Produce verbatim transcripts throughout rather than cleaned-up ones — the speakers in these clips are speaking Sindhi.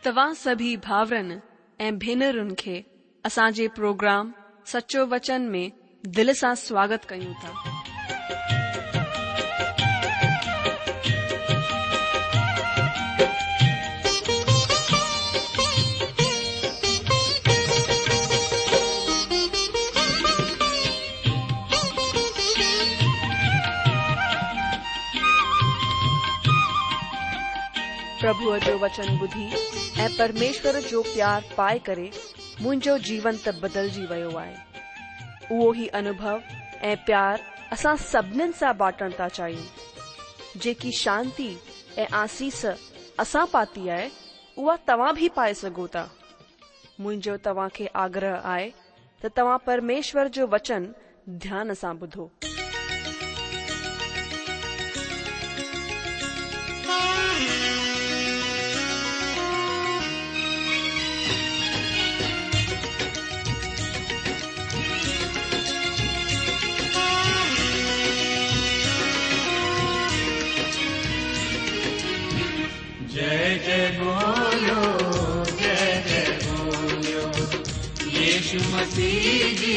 توهان سڀئي ڀائرن ۽ ڀينرن کي اسان جي پروگرام سچو وچن ۾ دل سان سواگت ڪيون ٿا. پرڀوءَ جو وچن ٻڌي ۽ پرميشور جو پيار پائي ڪري منهنجو جيون ته بدلجي ويو آهي. اهو ئي انوڀو ۽ پيار اسان سڀنين سان بانٽڻ ٿا چاهيون. جيڪي شانتي ۽ آسيس اسان پاتي آهي اها توهان به پائي سگهو ٿا. منهنجو توهان کي آگرهه آهي ته توهان پرميشور جو وچن ڌيان سان ٻڌو. जय जय बोलो, जय जय बोलो, यीशु मसीह जी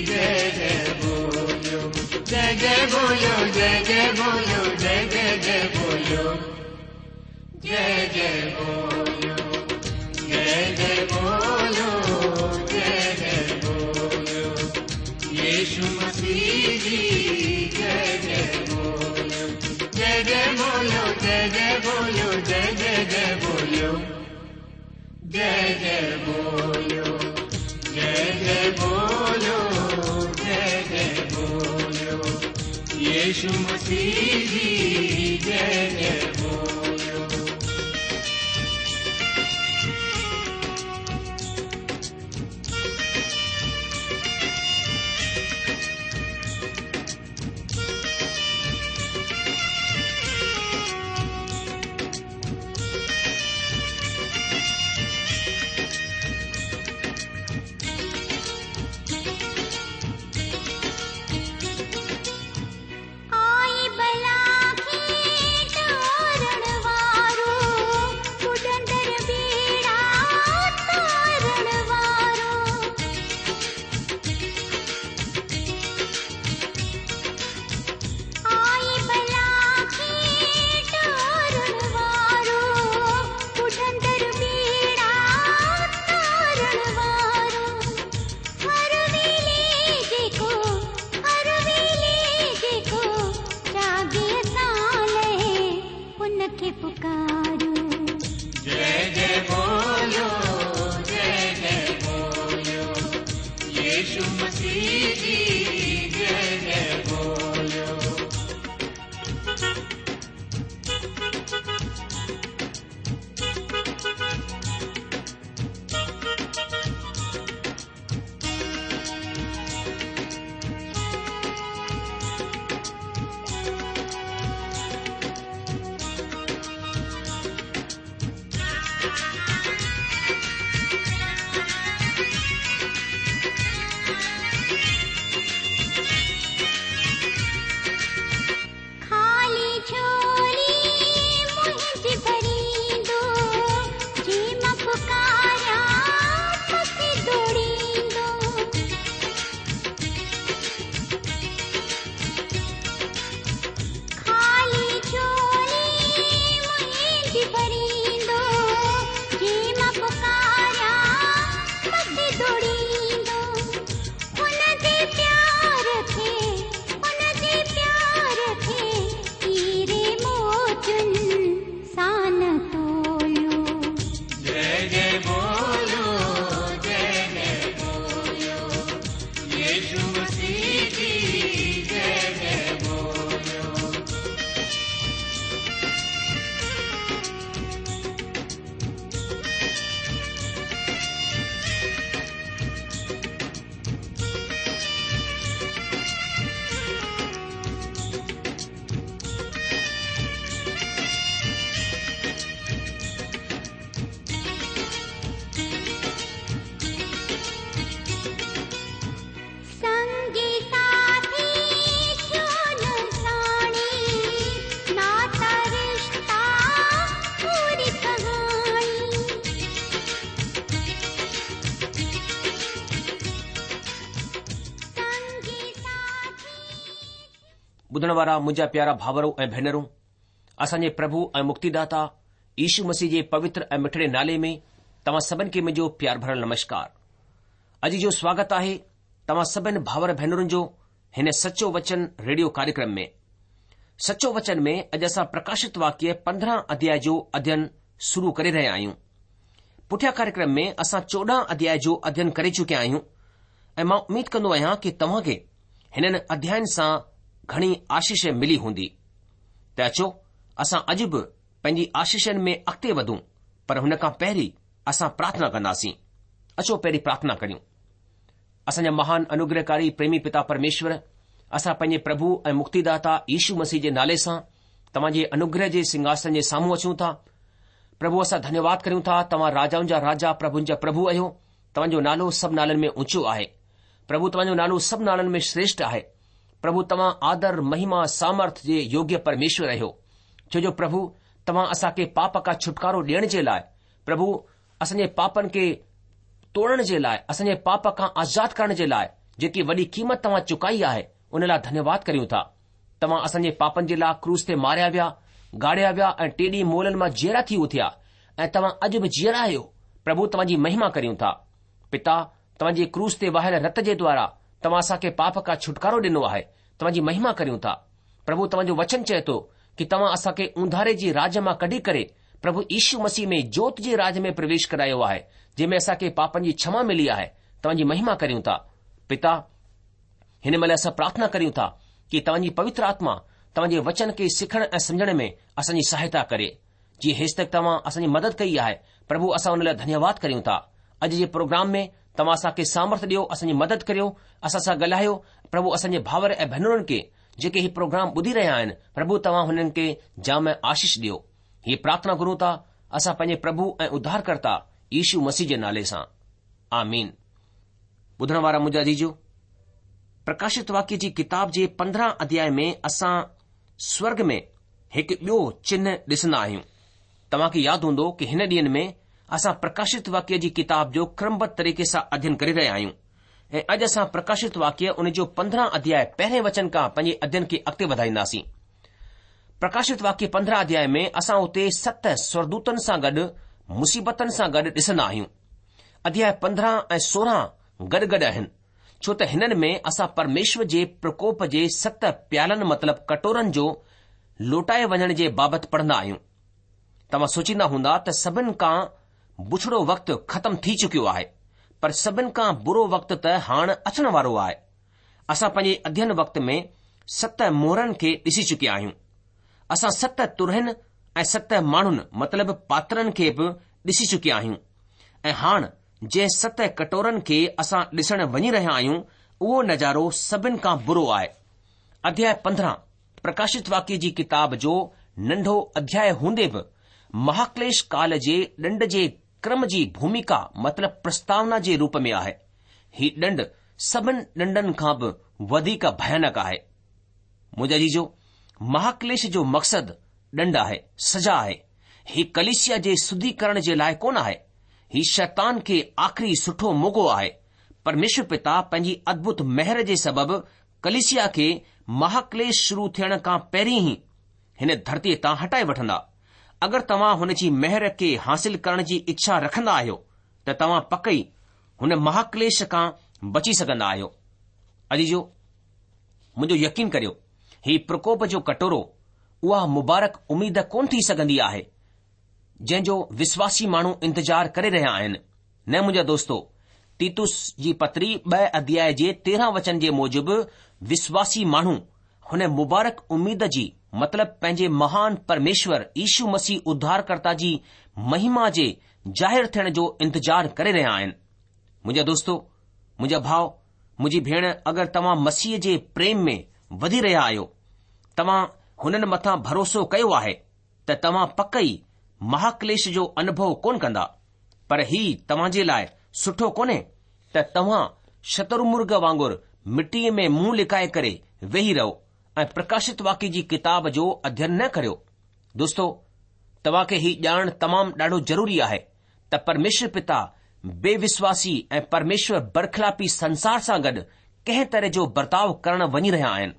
जय जय बोलो, जय जय बोलो, जय जय बोलो, जय जय जय बोलो, जय जय बोलो, जय जय बोलो, जय जय बोलो, यीशु मसीह जी जय जय बोलो, जय जय बोलो, जय जय बोलो, जय जय जय बोलो, जय जय बोलो, जय जय बोलो, जय जय बोलो, यीशु मसीह जी जय जय बोलो। आई बला की ٻڌڻ وارا منهنجا پيارا ڀائرو ۽ ڀينرون، اسان جي پرڀو ۽ مڪتيداتا يشو مسيح جي پوتر ۽ مٺڙي نالي ۾ توهان سڀن کي منهنجو پيار ڀريل نمشڪار. اڄ جو سواگت آهي توهان سڀن ڀائر ڀينرن جو هن سچو وچن ريڊيو ڪاريڪرم ۾. سچو وچن ۾ اڄ اسان پرڪاشت واڪيه پندرهن اڌياء جو اڌين شروع ڪري رهيا آهيون. پٺيان ڪاريڪرم ۾ اسان چوڏهن اڌياء جو اڌين ڪري چڪيا آهيون ۽ مان اميد ڪندو آهيان ڪي توهان کي هنن اڌيائن سان گهڻي آشيش ملي هوندي. ته اچو اسان اڄ به پنهنجي آشيشن ۾ اڳتي وڌون، پر هن کان پهرين اسان پرارٿنا ڪنداسين. اچو پهرين پرارٿنا ڪريون. اسان جا مهان انوگرهڪاري پريمي پتا پرميشور، اسان پنهنجي پرڀو ۽ مڪتيداتا يشو مسيح جي نالي سان توهان جي انوگرهه جي سنگهاسن جي سامهون اچون ٿا. پرڀو اسان ڌنيواد ڪريون ٿا، توهان راجائن جا راجا پرڀن جا پرڀو آهيو. توهان جو نالو سڀ نالن ۾ اونچو آهي. پرڀو توهان جو نالو سڀ نالن ۾ شريشٺ آهي. پرڀو توهان آدر، مهما، سامرٿ جي يوگيه پرميشور آهيو. ڇو جو پرڀو توهان اسان کي پاپ کان ڇوٽڪارو ڏيڻ جي لاء، پرڀو اسان جي پاپن کي توڙڻ جي لاء، اسان جي پاپ کان آزاد ڪرڻ جي لاء جيڪي وڏي قيمت توهان چڪائي آهي، ان لاء ڌنيواد ڪريون ٿا. توهان اسان جي پاپن جي لاء ڪروس تي ماريا ويا، گاڙيا ويا ۽ ٽي ڏينهن مئلن مان جيئرا ٿي اٿيا ۽ توهان اڄ به جيئرا آهيو. پرڀو توهان جي مهما ڪريون ٿا. پتا، توهان جي ڪروس تي وهايل رت جي دوارا توهان اسان کي پاپ کان ڇوٽڪارو ڏنو آهي. توهان جي مهما ڪريون ٿا. پرڀو توهان جو وچن چئي ٿو ڪي توهان اسان کي اونڌاري جي راج مان ڪڍي ڪري پرڀو يشو مسيح ۾ جوت جي راج ۾ پرويش ڪرايو آهي، جنهن ۾ اسان کي پاپن جي ڇما ملي آهي. توهان جي مهما ڪريون ٿا. پتا، هن مهل اسان پرارٿنا ڪريون ٿا ڪي توهان جي پوتر آتما توهان جي وچن کي سکڻ ۽ سمجهڻ ۾ اسان جي سهائتا ڪري. جيئن هيستڪ توهان اسان جي مدد ڪئي آهي، پرڀو اسان ان لاء ڌنيواد ڪريون ٿا. اڄ جي پروگرام ۾ توهان اسان کي سامرٿ ڏيو، اسان جي مدد ڪريو، اسان سان ڳالهايو. پرڀو اسان جي ڀائر ۽ ڀينرن کي جيڪي هي پروگرام ٻڌي رهيا آهن، پرڀو توهان هنن کي جام آشيش ڏيو. هيء پرارٿنا گهرون ٿا اسان پنهنجي پرڀو ۽ اڌارڪرتا يشو مسيح جي نالي سان. آمين. ٻڌڻ وارا منهنجا عزيزو، پرڪاشت واڪيه جي ڪتاب جي پندرهن اڌياء ۾ اسان سورگ ۾ هڪ ٻيو چنه ڏسندا آهيون. توهان کي ياد هوندو ڪي هن ڏينهن ۾ اسان پرڪاشت واڪيه جي ڪتاب جو ڪرمبڌ طريقي سان اڌين ڪري رهيا آهيون ۽ اڄ اسان پرڪاشت واڪيه ان جو پندرهن اڌياء پهرين وچن کان پنهنجي اڌين کي اڳتي وڌائينداسين. پرڪاشت واڪيه پندرهن اڌياء ۾ اسان اتي ست سورگدوتن سان گڏ مصيبتن سان گڏ ڏسندا آهيون. اڌياء پندرهن ۽ سورهن گڏ گڏ آهن، ڇو ته هنن ۾ اسان پرميشور جي پرڪوپ جي ست پيالن مطلب ڪٽورن جو لوٽائي وڃڻ جي بابت پڙهندا آهيون. توهان سوچيندا هوندا ته سڀن کان بڇڙو وقت ختم ٿي چڪيو آهي، پر سڀن کان برو وقت ته هاڻ اچڻ وارو آهي. اسان پنهنجي اڌين وقت ۾ ست مهرن کي ڏسي چڪيا آهيون. اسان ست ترهين ۽ ست ماڻهن مطلب پاترن کي به ڏسي چڪيا آهيون ۽ هاڻ جنهن ست ڪٽورن کي اسان ڏسڻ وڃي رهيا آهيون اهو نظارو سڀن کان برو آهي. اڌياء پندرهن پرڪاشت واڪيه جي ڪتاب جو ننڍو اڌياء هوندي به مهاڪليش ڪال جي ڏنڊ جي ڪرم جي ڀوميڪا مطلب پرستاونا جي روپ ۾ آهي. هي ڏنڊ سڀن ڏنڊن کان به وڌيڪ ڀيانڪ آهي. منهنجا عزيزو، مهاڪليش جو مقصد ڏنڊ آهي، سزا آهي. هي ڪليسيا جي شڌيڪرڻ جي لاء ڪونه آهي. هي شيطان کي آخري سٺو موقعو آهي. پرميشور پتا پنهنجي ادڀت مهر جي سبب ڪليسيا کي مهاڪليش شروع ٿيڻ کان پهرين ئي هن ڌرتيء تان هٽائي وٺندا. اگر توهان هن جي مهر کي حاصل ڪرڻ جي اڇا رکندا آهيو ته توهان پڪ ئي هن مهاڪليش کان بچي سگهندا آهيو. عزيزو، منهنجو يقين ڪريو، هي پرڪوپ جو ڪٽورو اها مبارڪ اميد ڪونه ٿي سگهندي آهي، جنهن جو وشواسي ماڻهو انتظار ڪري رهيا آهن. نه منهنجا دوستو، تيتس جي پتري ٻه اڌياء جي تيرهن وچن جي موجب وشواسي ماڻهو هن مبارڪ اميد جي مطلب پنهنجي مهان پرميشور يشو مسيح اڌارڪرتا جي مهما جي ظاهر ٿيڻ جو انتظار ڪري رهيا آهن. منهنجا دوستو، منهنجا ڀاء، منهنجي ڀيڻ اگر توهان مسيح جي پريم ۾ وڌي رهيا آهيو، توهان هنن مٿان ڀروسو ڪيو آهي ته توهان پڪ ئي مهاڪليش جو انوڀو ڪونه ڪندا. پر هي توهان جي لاء سٺو ڪونهي ته توهان شترمرغ وانگر مٽيء ۾ منهن لڪائي ڪري ويهي رهو ۽ پرڪاشت واڪيه جي ڪتاب جو اڌين نه ڪريو. دوستو، توهان کي هي ڄاڻڻ تمام ڏاڍو ضروري آهي ته پرميشور پتا بي وشواسي ۽ پرميشور برخلافي سنسار سان گڏ ڪنهن طرح جو برتاء ڪرڻ وڃي رهيا آهن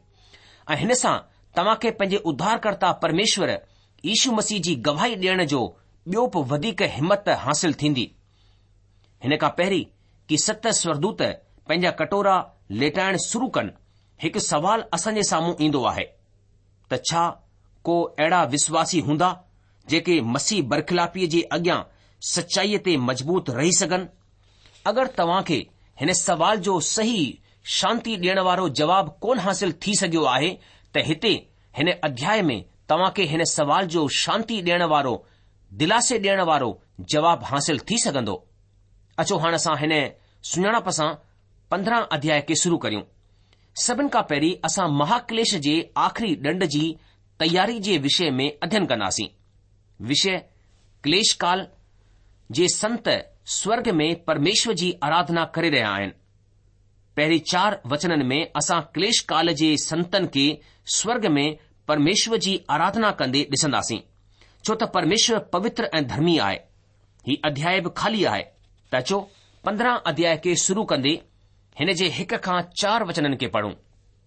۽ هن سان توهان کي پنهنجي اڌارڪرتا پرميشور يشو مسيح جي گواهي ڏيڻ جو ٻيو به وڌيڪ همت حاصل ٿيندي. هن کان پهرين ڪي ست سورگدوت پنهنجا ڪٽورا ليٽائڻ شروع ڪن، هڪ سوال اسان جي سامهون ايندو آهي ته ڇا ڪو اهڙا وشواسي هوندا جيڪي مسيح برخلافيء جي اڳيان سچائيء تي مضبوط رهي سگهن؟ اگر توهان کي هن سوال جو صحيح شانتي ڏيڻ وارو جواب ڪونه حاصل ٿي سگهيو آهي ته هتي هن اڌياء ۾ توهان کي هن سوال جو شانتي ڏيڻ وارو، دلاسي ڏيڻ وارو جواب حاصل ٿي سگهندو. اچو هاڻ اسان هن سڃاڻپ سان پندرهن اڌياء کي شروع ڪريون. سڀن کان پهرين اسان مهاڪليش جي آخري ڏنڊ جي تياري جي وشي ۾ اڌين ڪنداسين. وشي ڪليش ڪال جي سنت سورگ ۾ پرميشور جي آراڌنا ڪري رهيا آهن. پهرين چار وچنن ۾ اسان ڪليش ڪال جي سنتن کي سورگ ۾ پرميشور جي آراڌنا ڪندي ڏسنداسين، ڇو ته پرميشور پوتر ۽ ڌرمي آهي. هي اڌياء به خالي آهي ته اچو پندرهن اڌياء کي شروع ڪندي هن جي هڪ کان چار وچنن کي پڙهون.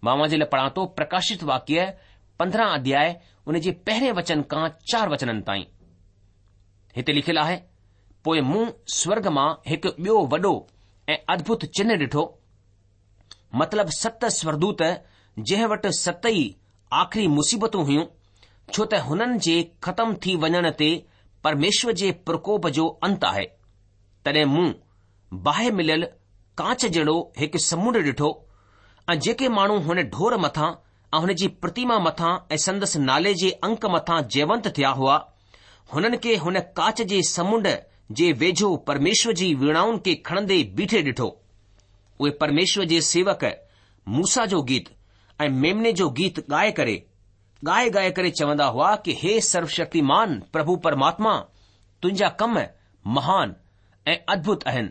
مان اوهان جي لاء پڙهان ٿو پرڪاشت واڪيه پندرهن اڌياء ان جي پهرين وچن کان چار وچنن تائين. هتي لکيل آهي، پوء مون سورگ مان هڪ ٻيو وڏو ۽ ادڀت چنهه ڏٺو، مطلب ست سورگدوت جنهن وٽ ست ئي آخري مصيبتون هيون، ڇو ته هنن جي ختم ٿي وڃڻ تي پرميشور جي پرڪوپ جو انت آهي. تڏهن مون باهه مليل ڪانچ جهڙو هڪ سمنڊ ڏٺو ۽ جيڪي ماڻهو هن ڍور مٿان ۽ هن جي پرتيما مٿان ۽ سندس نالي جي انڪ مٿان جيونت ٿيا هئا، هنن کي هن ڪانچ جي سمنڊ جي ويجهو پرميشور جي ويڻائن کي کڻندي بيٺي ڏٺو. اهي پرميشور جي سيوڪ موسيٰ جو گيت ۽ ميمني جو گيت ڳائي ڪري، ڳائي ڳائي ڪري چوندا هئا ڪي هي سروشڪتيمان پرڀو پرماتما، تنهنجا ڪم مهان ۽ ادڀت آهن.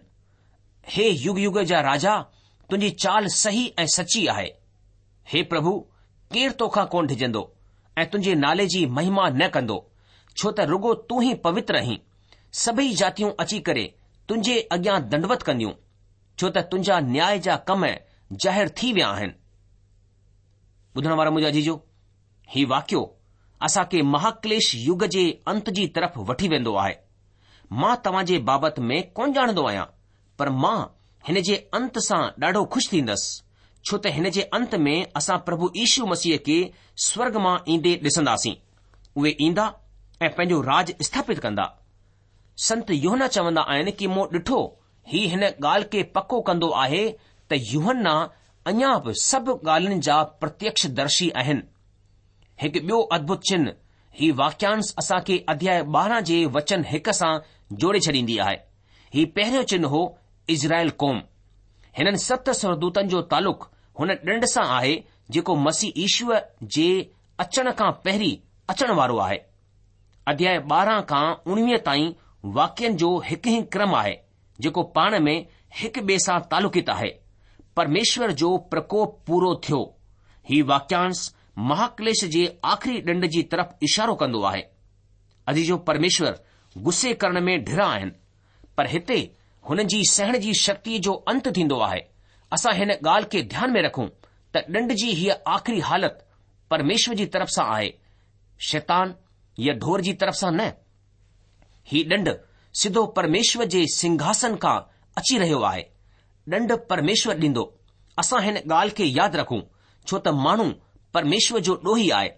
هي يگ يگ جا راجا، تنهنجي چال صحيح ۽ سچي آهي. هي پرڀو، ڪير توکان ڪونه ڊڄندو ۽ تنهنجي نالي جي مهما نه ڪندو، ڇو ته رڳو تون ئي پوتر آهين. سڀئي جاتيون اچي ڪري تنهنجي اڳيان دنڊوت ڪنديون، ڇو ته تنهنجا نياء جا ڪم ظاهر ٿي ويا آهن. ٻڌڻ وارا منهنجا عزيزو، هي واقعو اسان کي مهاڪليش يگ جي انت جي طرف وٺي ويندو آهي. مان توهان جي بابت ۾ ڪونه ڄاڻندو آهيان، پر مان هن جي انت سان ڏاڍو خوش ٿيندس، ڇو ته هن جي انت ۾ اسان پرڀو يشو مسيح کي سورگ مان ايندي ڏسنداسين. اهي ايندا ۽ پنهنجو راج اسٿاپت ڪندا. سنت يوحنا چوندا آهن ڪي مون ڏٺو هي هن ڳالهه کي پڪو ڪندو آهي ته يوحنا اڃا به سڀ ڳالهين جا پرتيڪش درشي آهن. هڪ ٻيو ادڀت چنهه هي واڪيانش اسان کي اڌياء ٻارهن جي وچن هڪ سان جوڙي ڇڏيندي آهي. هي پهريون چنهه هو اسرائيل قوم. هنن ست سورگدوتن جو تعلق هن ڏنڊ سان آهي جيڪو مسيح يشوء جي اچڻ کان پهرين اچڻ وارو آهي. اڌياء ٻارهن کان اڻويهه تائين واقعن جو هڪ ئي ڪرم آهي جيڪو پاڻ ۾ هڪ ٻئي سان تعلقيت آهي. پرميشور جو پرڪوپ پورو ٿيو. هي واڪيانش مهاڪليش جي آخري ڏنڊ جي طرف اشارو ڪندو آهي. عزيزو پرميشور غصي ڪرڻ ۾ ڍرا آهن، پر هتي هنن جي سهڻ جي شڪتيء جو انت ٿيندو آهي. اسان هن ڳالهه کي ڌيان ۾ رکون ته ڏنڊ جي هيء آخري حالت پرميشور جي طرف سان آهي، شيطان يا ڍور جي طرف سان نه. هي ڏنڊ سڌو پرميشور جي سنگهاسن کان اچي رهيو آهي. ڏنڊ پرميشور ڏيندو. اسان هن ڳالهه کي ياد رکون، ڇو ته ماڻهو پرميشور جو ڏوهي آهي،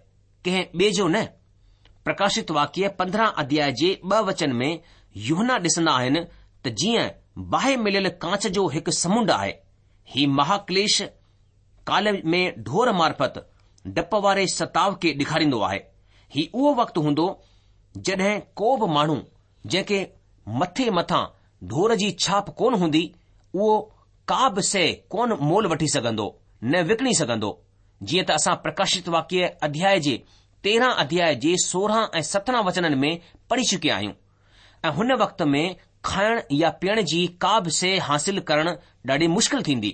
ڪنهن ٻئي جو نه. پرڪاشت واڪيه پندرهن اڌياء جي ٻه وچن ۾ يوحنا ڏسندا آهن ته جيئن باهه مليل ڪانچ جو هڪ سمنڊ آهي. هي مهاڪليش ڪال ۾ ڍور معرفت ڊپ واري ستاء کي ڏيکاريندو آهي. هي اهو وقت هوندو جڏهن ڪو به ماڻهو جنهن کي مٿي مٿان ڍور جي ڇاپ ڪونه هوندي اهو ڪا به شيء ڪونه مول وٺي سگهندو نه وڪڻي سگهندو. جيئن ته اسان پرڪاشت واڪيه اڌياء جي تيرهن اڌياء جي سورهن ۽ سترهن وچنن ۾ پڙهي چڪيا آهيون ۽ هن وقت ۾ کائڻ يا پيئڻ جي ڪا به شيء حاصل ڪرڻ ڏاڍي مشڪل ٿيندي.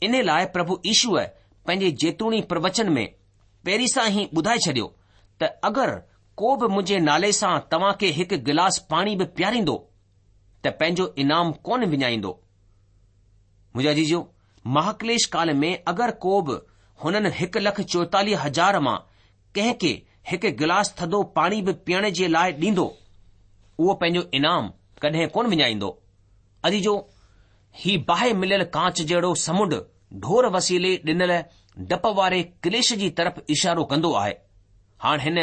ان لاء پرڀو يشوء پنهنجي زيتوني پروچن ۾ پهرين سان ئي ٻڌائي ڇڏيو ته اگر ڪو به منهنجي نالي سان توهان کي هڪ گلاس پاڻي به پياريندو ته پنهنجو انعام ڪونه وڃائيندو. منهنجا عزيزو، مهاڪليش ڪال ۾ اگر ڪو به هنن هڪ لک چوئيتاليهه هزار مان ڪنهن کي هڪ گلاس ٿڌو پاڻي به پيئڻ جي لاء ڏيندو، اهو پنهنجو انعام ڪڏهن ڪونه وڃائيندو. عزيزو، هي باهه مليل ڪانچ جهڙو سمنڊ ڍور وسيلي ڏنل ڊپ واري ڪليش جي طرف اشارو ڪندو آهي. هاڻ هن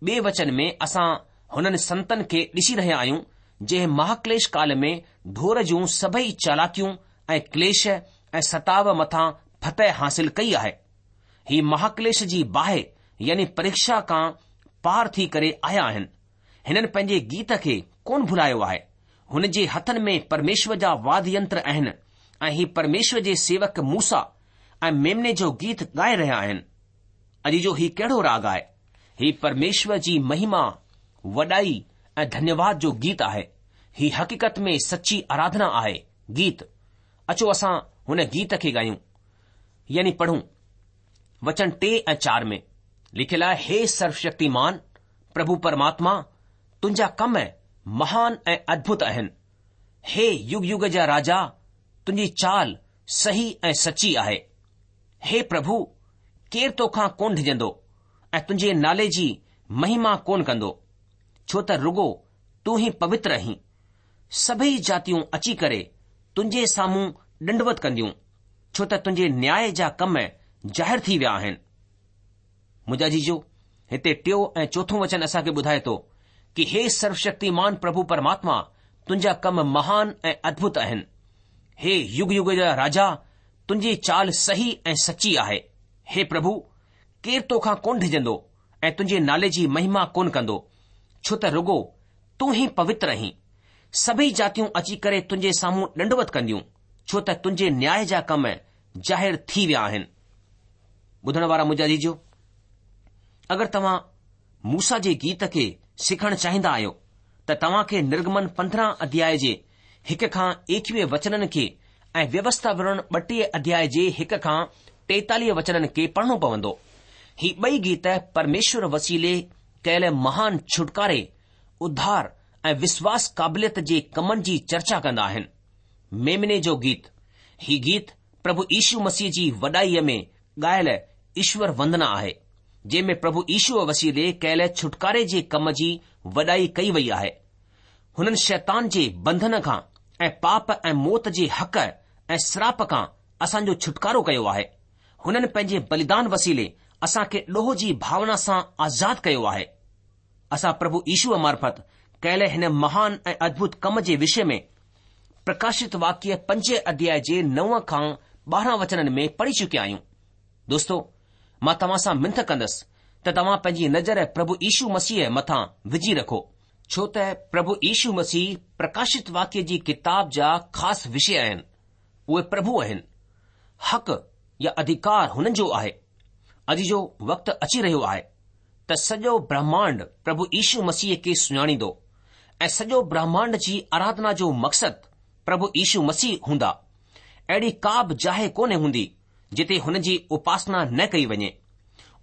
ٻئي وچن ۾ اسان هنن سنتن کي ڏسي رهيا آهيون جنهن مهاڪليش ڪال ۾ ڍور جون سڀئي چالاڪيون ۽ ڪليش ۽ ستاو مٿان فتح حاصل ڪئي آهي. هي مهاڪليش جي باهه يعني پريڪشا کان پار ٿي ڪري آيا آهن. هنن پنهنجي گيت کي ڪونه ڀلايو آهي. هن جي هٿن ۾ پرميشور جا واد ينتر آهن ۽ هي پرميشور جي سيوڪ موسيٰ ۽ ميمني جو گيت ڳائي رهيا آهن. عزيزو، هي ڪهڙو راڳ آهي؟ هي پرميشور جي مهما، وڏائي ۽ ڌنيواد جو گيت آهي. هي حقيقت ۾ سچي آراڌنا آهي. گيت. اچو اسان هن گيت کي ڳايون يعني پڙهون. وچن ٽي ۽ چار ۾ لکيل آهي، هي سروشڪتيمان پرڀو پرماتما، تنهنجا ڪم مهان ۽ ادڀت آهن. هي يگ يگ جا راجا، تنهنجي چال صحيح ۽ سچي آهي. هي پرڀو، ڪير توکان ڪونه ڊڄندو ۽ تنهنجي نالي جي مهما ڪونه ڪندو، ڇو ته رڳو تون ئي پوتر آهين. سڀئي جاتيون اچي ڪري تنهنجي سامهون ڏنڊوت ڪنديون، ڇو ته تنهنجي نياء جا ڪم ظاهر ٿي ويا آهن. منهنجا عزيزو، هتي ٽيون ۽ چوٿون وچن اسان کي ٻڌائي ٿو ڪي هي سروشڪتيمان پرڀو پرماتما، تنهنجا ڪم مهان ۽ ادڀت آهن. هي يگ يگ جا راجا، تنهنجي چال صحيح ۽ سچي آهي. هي پرڀو، ڪير توکان ڪونه ڊڄندو ۽ تنهنجي نالي جي مهما ڪونه ڪندو، ڇو ته رڳو تون ئي پوتر آهين. سڀئي جاتيون اچي ڪري تنهنجي سامهون ڏنڊوت ڪنديون، ڇو ته تنهنجي نياء جا ڪم ظاهر ٿي ويا آهن. ٻڌڻ وارا منهنجا عزيزو، اگر توهان موسيٰ جي گيت کي سکڻ چاهيندا آهيو ته توهان کي نرگمن پندرهن اڌياء جي هڪ کان ايڪويهه وچنن کي ۽ ويوسٿا وورڻ ٻٽيهه اڌياء جي هڪ کان ٽيتاليهه وچنن کي پڙهڻو پوندو. هي ٻئي گيت پرميشور وسيلي ڪيل مهان ڇوٽڪاري، اڌار ۽ وشواس قابليت جي ڪمن جي چرچا ڪندا آهن. ميمني جو گيت، هي گيت پرڀو يشو مسيح جي وڏائيء ۾ ڳايل ايشور وندنا آهي، جنهن ۾ پرڀو يشوء وسيلي ڪيل ڇوٽڪاري جي ڪم جي وڏائي ڪئي وئي آهي. هنن شيطان جي بنڌن کان ۽ پاپ ۽ موت جي حق ۽ سراپ کان اسان جو ڇوٽڪارو ڪيو آهي. هنن پنهنجي بليدان وسيلي اسان کي ڏوهه جي ڀاونا سان آزاد ڪيو آهي. اسان پرڀو يشوء معرفت ڪيل هن مهان ۽ ادڀت ڪم جي وشي ۾ پرڪاشت واڪيه پنج اڌياء جي نو کان ٻارهن وچنن ۾ پڙهي چڪيا آهيون. دوستو، مان توهان سان منٿ ڪندس ته توهان پنهنجي نظر پرڀو يشو مسيح مٿان وجهي رکو، ڇو ته پرڀو يشو مسيح پرڪاشت واڪيه جي ڪتاب جا خاص وشي آهن. اهي پرڀو آهن. حق يا اڌيڪار هنن جو آهي. عزيزو، وقت اچي رهيو آهي ته سڄو برهمانڊ پرڀو يشو مسيح کي سڃاڻيندو ۽ سڄو برهمانڊ جي آراڌنا جو مقصد پرڀو يشو مسيح هوندا. اهڙي ڪا به جاء ڪونه هوندي جتي هن جي اپاسنا نه ڪئي وڃي.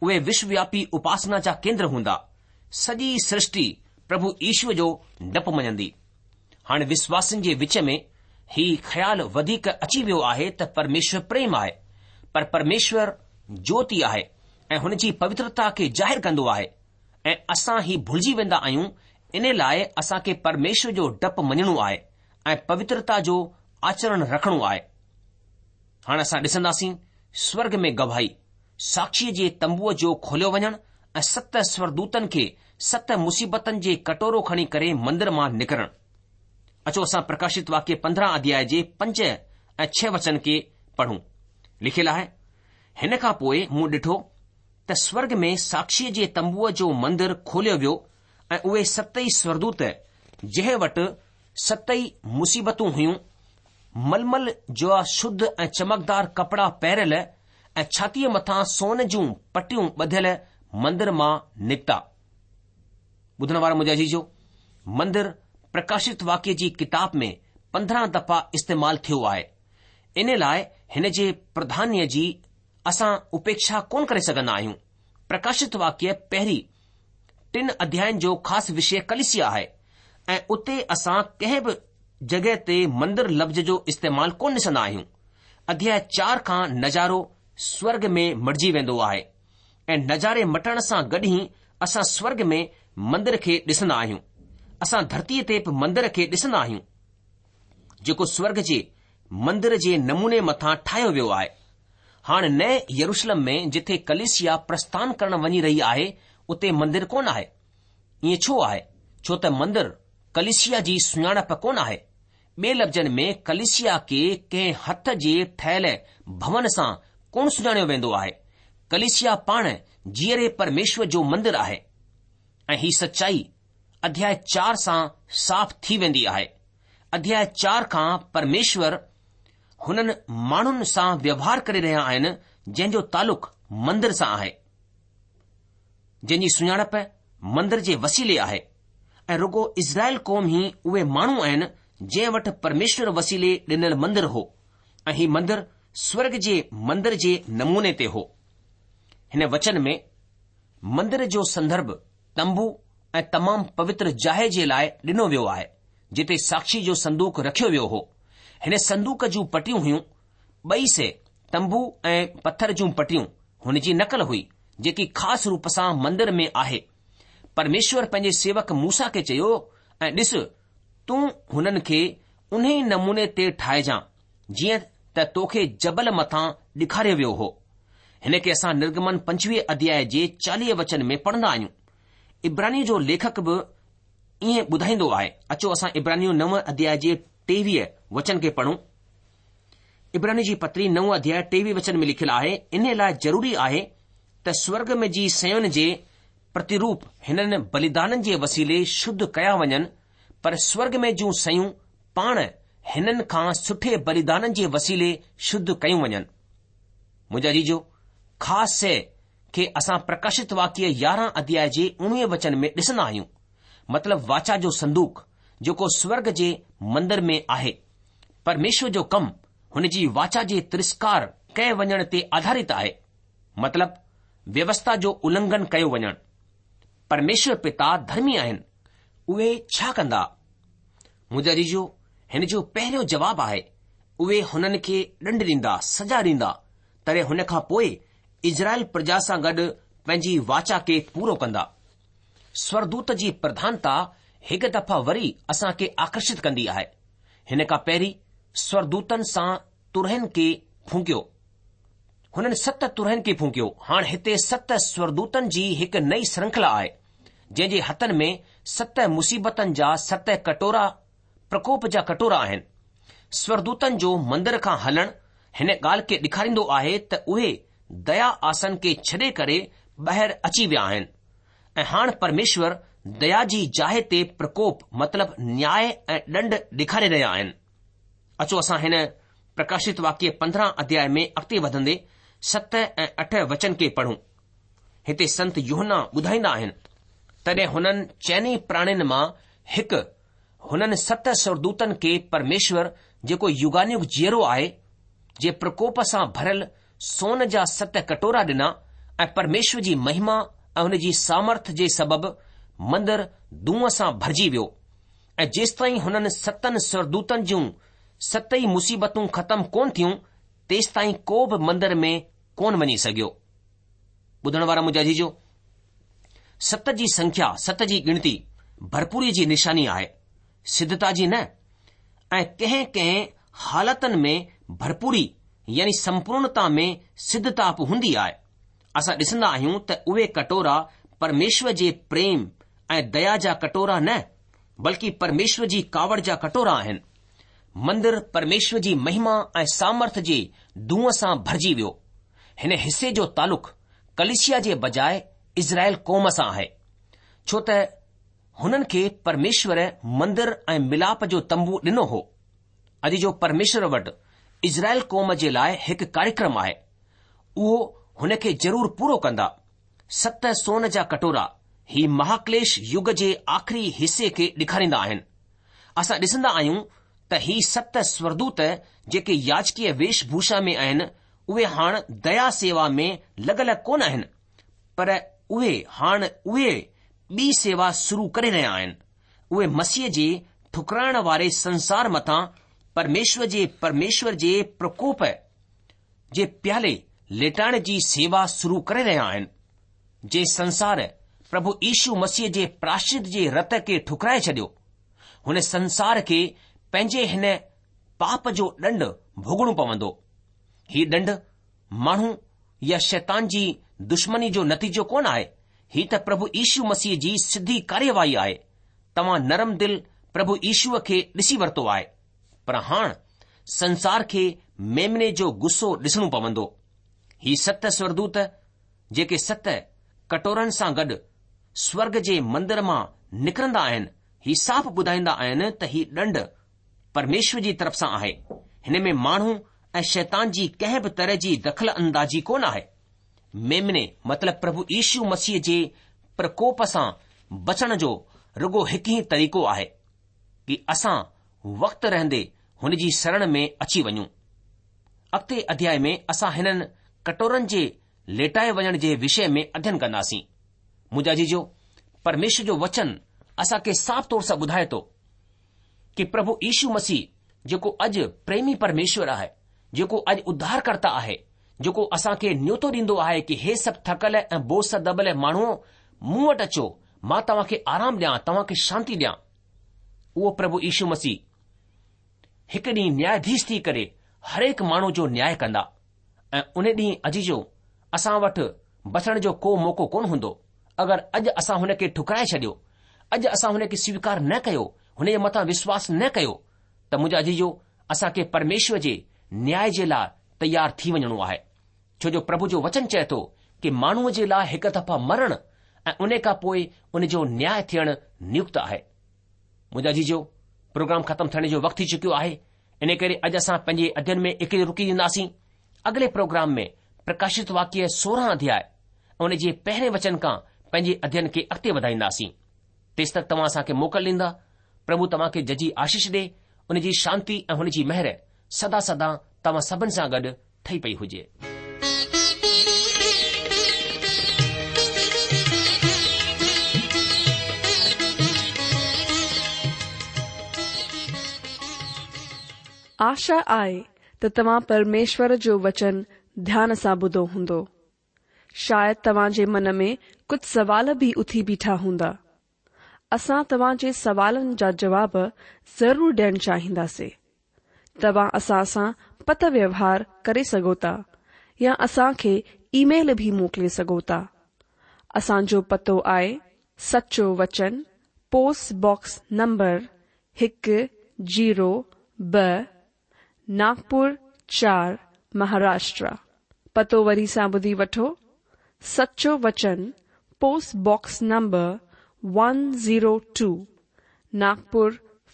اهي وشووياپي اپاسنا جا ڪيندر هوندا. سڄي سرشٽي پرڀو يشو جو ڊپ مڃندي. هاڻي وشواسين جي وچ ۾ هي خيال وڌيڪ اچي ويو آهي ته پرميشور پريم آهي، پر پرميشور جوتي آهي ۽ هن جي پوترتا کي ظاهر ڪندو آهي ۽ اسان هي ڀلجي ويندا آهيون. ان لاء اسان کي پرميشور جو ڊپ مڃڻو آهي ۽ پوترتا جو آچرڻ رکڻو آهي. هاڻ اسان ڏسنداسين سورگ ۾ گواهي، ساکشيء جي تنبوء جو کوليو وڃڻ ۽ ست سورگدوتن کي ست مصيبتن جي ڪٽورو کڻي ڪري مندر مان نڪرڻ. اچو اسان پرڪاشت واڪيه پندرهن اڌياء جي پنج ۽ ڇهه وچن کي پڙهون. لکيل آهي، هن کان پوء مون ڏٺو ته سورگ ۾ ساکشيء جي تنبوء جو مندر کوليو ويو ۽ اهي ست ئي سورگدوت جنهن وٽ ست ئي مصيبتون هيون، ململ جا شڌ ۽ چمڪدار ڪپڙا پهريل ۽ ڇاتيء مٿان سون جون پٽيون ٻڌل مندر مان نڪتا. ٻڌڻ وارا منهنجا عزيزو، مندر پرڪاشت واڪيه جي ڪتاب ۾ پندرهن دفعا استعمال ٿيو آهي. ان لاء هن جي پرڌانيه جي اسان اپيڪشا ڪونه ڪري سگهندا آهيون. پرڪاشت واڪيه پهرين ٽن اڌيائن جو خاص وشيه ڪليسيا آهي ۽ اتي اسان ڪنهن به جڳهه تي مندر لفظ جو استعمال ڪونه ڏسندا آهيون. اڌياء چار کان نظارو سورڳ ۾ مٽجي ويندو آهي ۽ نظاري مٽڻ سان گڏ ئي اسان سورڳ ۾ مندر کي ڏسندا آهيون. اسان ڌرتيء تي به مندر کي ڏسندا آهيون، جيڪو سورڳ جي مندر جي نموني مٿان ٺاهيو ويو آهي. هاڻ نئين يروشلم ۾ جٿي ڪليسيا پرسٿان ڪرڻ وڃي رهي آهي، اتي مندر ڪونه آهي. ائين ڇو آهي؟ ڇو ته مندر ڪليسيا جي سڃاڻپ ڪونه آهي. ٻئي لفظن ۾ ڪليسيا کي ڪنهن هٿ جي ٺهيل ڀون سان ڪونه سڃاڻيو ويندو آهي. ڪليسيا پاڻ جيئري پرميشور جو مندر آهي ۽ هي سچائي اڌياء چار سان صاف ٿي ويندي آهي. اڌياء چار کان پرميشور هنن ماڻهن سان ويوهار ڪري رهيا آهن جنهن جو تعلق مندر سان آهي، جنهن جي سڃاڻپ مندر جي وسيلي آهي ۽ رڳو اسرائيل قوم ئي اهي ماڻهو آهن جنهن وٽ پرميشور وسيلي ڏنل مندر هو ۽ هي مندر سورڳ جي مندر جي نموني تي هو. هن وچن ۾ مندر جو سندرڀ تنبو ۽ تمام پوتر جاءِ جي لاءِ ڏنو ويو آهي، جتي ساکشي جو صندوق رکيو ويو هو. هن صندوق جون پٽيون هيون، ٻئي سي تنبو ۽ پٿر جون پٽيون هن جي نقل هئي، جيڪي خاص روپ سان مندر ۾ آهي. پرميشور پنهنجي سيوڪ موسيٰ کي چيو، ۽ ڏس، تون هنن کي انهي نموني تي ٺاهجان جيئن ته توکي جبل مٿان ڏيکاريو ويو هو. هن کي اسان نرگمن پنجويهه اڌياء جي چاليهه وچن ۾ پڙهندا آهيون. عبراني جو ليکڪ به ائين ٻڌائيندو آهي. اچو اسان عبرانيون نو اڌياء جي ٽيويهه وچن کي پڙهون. عبراني جي پتري نو اڌياء ٽيويهه وچن ۾ لکيل آهي، ان لاءِ ضروري آهي ته سورڳ ۾ جي شين جي پرتروپ هنن بليدانن جي وسيلي شڌ ڪيا وڃن، پر سورڳ ۾ جون شيون پاڻ هنن کان سٺي بليدانن جي وسيلي شڌ ڪيون وڃن. منهنجا عزيزو، خاص شيءِ کي اسان پرڪاشت واڪيه يارهن اڌياء جي اڻويهه وچن ۾ ڏسندا آهيون، مطلب واچا جو صندوق جيڪو سورڳ جي مندر ۾ آهي. پرميشور جو ڪم هن جي واچا جي ترسڪار ڪئي وڃڻ تي آڌارت آهي، مطلب ويوسٿا جو النگهن ڪيو وڃڻ. پرميشور پتا ڌرمي آهن، اهي ڇا ڪندا؟ منهنجا عزيزو، هن جو پهريون جواب آهي، اهي هنن کي ڏنڊ ڏيندا، سزا ڏيندا، تڏهن هن کان پوءِ اسرائيل پرجا سان گڏ پنهنجي واچا کي پورو ڪندا. سورگدوت جي پرڌانتا هڪ دفعا وري اسان کي آڪرشت ڪندي آهي. هن کان پهرين سورگدوتن سان ترهين کي ڦونڪيو، هنن ست ترهين کي ڦونڪيو. هاڻ هتي ست سورگدوتن جي هڪ نئين شرنکلا آهي، جنهن جي هٿن ۾ ست مصيبتن جا ست ڪٽورا، پرڪوپ جا ڪٽورا آهن. سورگدوتن جو مندر کان هلڻ هن ڳالهه کي ڏيکاريندو آهي ته اهي ديا آسن کي ڇڏي ڪري ٻاهر اچي ويا آهن ۽ هاڻ پرميشور ديا جي جاءِ تي پرڪوپ مطلب نياء ۽ ڏنڊ ڏيکاري رهيا آهن. اچو اسان هن پرڪاشت واڪيه پندرهن اڌياء ۾ اڳتي وڌندي ست ۽ اٺ وچن کي پڙهون. هتي سنت يوحنا ٻڌائيندا آهن، تڏهن هنن چئني پراڻين مان هڪ هنن ست سورگدوتن کي پرميشور جيڪو يگانيگ جيئرو آهي جي پرڪوپ سان ڀريل سون جا ست ڪٽورا ڏنا ۽ پرميشور جي مهما ۽ هن جي سامرٿ جي سبب مندر دونهن سان ڀرجي ويو ۽ جيستائين هنن ستن سورگدوتن جون ست ئي مصيبتون ختم ڪونه ٿيون، تيستائين ڪو به مندر ۾ ڪونه وڃي سگهيو. ٻڌڻ وارا منهنجا عزيزو، ست جي سنکيا، ست جي ڳڻتي ڀرپوريء جي نشاني آهي، سڌتا جي نه. ۽ ڪنهن ڪنهن حالتن ۾ ڀرپوري يعني سمپورڻتا ۾ سڌتا به هوندي آهي. اسان ڏسندا آهيون ته اهي ڪٽورا پرميشور جي پريم ۽ ديا جا ڪٽورا نه، بلڪه پرميشور جي ڪاوڙ جا ڪٽورا آهن. مندر پرميشور جي مهما ۽ سامرٿ جي دونهن سان ڀرجي ويو. هن حصي جو تعلق ڪليسيا جي بجاءِ اسرائيل قوم سان آهي، ڇو ته هنن کي پرميشور مندر ۽ ملاپ جو تنبو ڏنو هو. اڄ جو پرميشور وٽ اسرائيل قوم جي لاءِ هڪ ڪاريڪرم آهي، اهو هن کي ضرور پورو ڪندا. ست سون جا ڪٽورا هي مهاڪليش يگ جي آخري حصي کي ڏيکاريندا آهن. اسان ڏسندا آهيون ته هي ست سورگدوت جيڪي ياجڪيه ويش ڀوشا ۾ آهن، اهي هاڻ ديا سيوا ۾ لڳل ڪونه آهن، پر اهي هاڻ اهي ٻي سيوا شروع ڪري رهيا آهن. اهي مسيح جي ٺڪرائڻ واري سنسار مٿان پرميشور جي پرميشور جي پرڪوپ جي پيالي ليٽائڻ جي سيوا شروع ڪري رهيا آهن. جنهن سنسار پرڀو يشو مسيح جي پراشچت جي رت کي ٺڪرائي ڇڏيو، هن سنسار کي پنهنجي هن پاپ جو ڏنڊ ڀوڳڻو پوندو. هي ڏنڊ ماڻهو يا شيطان جي دشمني جو نتيجو ڪونه آهي، هي ته پرڀو يشو مسيح جي سڌي ڪاريواهي آهي. توهان نرم دل پرڀو يشوء کي ڏسي ورتو آهي، پر هاڻ سنسار کي ميمني جو غصو ڏسڻو پوندو. هي ست سورگدوت جيڪي ست ڪٽورن سان گڏ سورگ جي مندر مان نڪرندا آهن، هي صاف ٻڌائيندا آهن ته هي ڏنڊ پرميشور جي طرف سان آهي. هن ۾ ماڻهو ۽ شيطان جي ڪنهن به طرح جي دخل اندازي ڪونه آهي. ميمني مطلب پرڀو يشو مسيح جي پرڪوپ سان بچڻ جو رڳو هڪ ئي طريقو آهي ڪي اسان وقت رهندي هن جي شرڻ ۾ اچي وڃون. اڳتي اڌياء ۾ اسان هنن ڪٽورن جي ليٽائي وڃڻ جي وشي ۾ اڌين ڪنداسين. منهنجا عزيزو، پرميشور جو وچن اسان کي صاف طور سان ٻڌائي ٿو ڪي پرڀو يشو مسيح جيڪو اڄ پريمي پرميشور آهي، جيڪو اڄ اڌارڪرتا آهي، جيڪو اسان کي نيوتو ڏيندو آهي ڪي هي سڀ ٿڪل ۽ بوجه سان دٻل ماڻهو مون وٽ اچو، مان توهان کي آرام ڏيان، توهان کي شانتي ڏيان. اهو پرڀو يشو مسيح هڪ ڏينهن نياياڌيش ٿي ڪري هرهڪ ماڻهو جو نياء ڪندا ۽ ان ڏينهن عزيزو اسان وٽ بچڻ جو ڪو موقعو ڪونه هوندو. اگر اڄ اسان هن کي ٺڪرائي ڇڏيو، اڄ اسان هن کي سويڪار نه ڪيو، هن جي مٿان وشواس نه ڪيو ته منهنجا عزيزو اسان کي پرميشور جي نياء جي لاء تيار ٿي وڃڻو آهي. ڇو جو پرڀو جو وچن چئي ٿو ڪي ماڻهوء جي لاء هڪ دفعا مرڻ ۽ ان کان پوء ان جو نياء ٿيڻ نيڪت آهي. منهنجا عزيزو، پروگرام ختم ٿيڻ جو وقت ٿي چڪيو آهي، ان ڪري اڄ اسان پنهنجي اڌين ۾ هتي رڪي وينداسين. اڳلي پروگرام ۾ پرڪاشت واڪيه سورهن اڌياء ۽ ان جي پهرين وچن کان پنهنجي اڌين کي اڳتي وڌائينداسين. تيس تڪ توهان اسان کي موڪل ڏيندا. پرڀو توهان کي ججهي آشيش ڏي، ان جي شانتي ۽ هن جي مهر سدا سدا توهان سڀن سان گڏ ٺهي پئي هجي. آشا آهي ته توهان پرميشور جو وچن ڌيان سان ٻڌو هوندو. شايد توهان جي من ۾ ڪجهه سوال به اٿي بيٺا هوندا. اسان توهان جي سوالن جا جواب ضرور ڏيڻ چاهينداسين. توهان اسان سان پتر ويوهار ڪري سگهو ٿا يا اسان کي اي-ميل به موڪلي سگهو ٿا. اسان جو پتو آهي سچو وچن، پوسٽ باڪس نمبر هڪ زيرو ٻه، ناگپور چار، مهاراشٽر. پتو وري سان ٻڌي وٺو، سچو وچن، post box number one zero two, Nagpur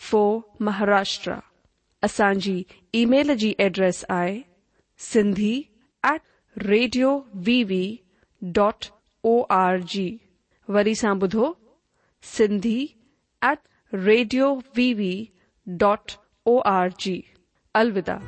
four, Maharashtra. اسان جي اي-ميل جي ايڊريس آهي Sindhi at radio V V dot O R G. وري سان ٻڌو، Sindhi at radio V V dot O R G. الوداع.